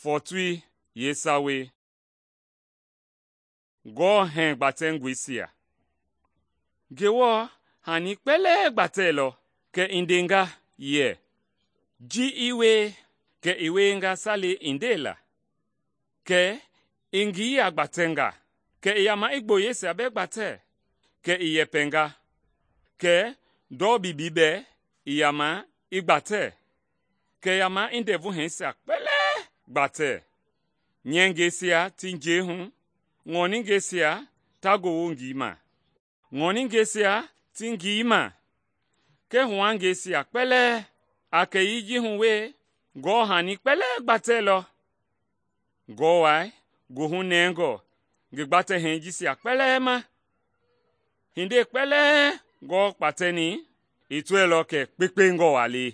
Fɔɔtoi yeesawei. Ngewɔ hɛɛ gbatɛngɔisia. Ngewɔ hani kpɛlɛɛ gbatɛilɔ, kɛ i ndenga yɛ, “Ji i wie,” kɛ i wienga salei i ndela. Kɛ i ngilia gbatɛnga, kɛ i yama i gboyeisia bɛɛ gbatɛ, kɛ i yɛpɛnga, kɛ ndɔ bibii bɛɛ i yama i gbatɛ, kɛ i yama i ndɛvu hɛɛsia kpɛlɛɛ gbatɛ. Nyɛngɛisia ti njɛi hu, ŋɔningɛisia ta gowo ngii ma, ŋɔningɛisia ti ngii ma, kɛɛ huangɛisia kpɛlɛɛ. A kɛyii ji hu we, Ngewɔ hani kpɛlɛɛ gbatɛilɔ. Ngewɔ Wai goohu nɛngɔ ngi gbatɛ-hɛɛ jisia kpɛlɛɛ ma. Hindei kpɛlɛɛ Ngewɔ kpatɛni i tɔɛilɔ kɛ kpekpengɔ waa le.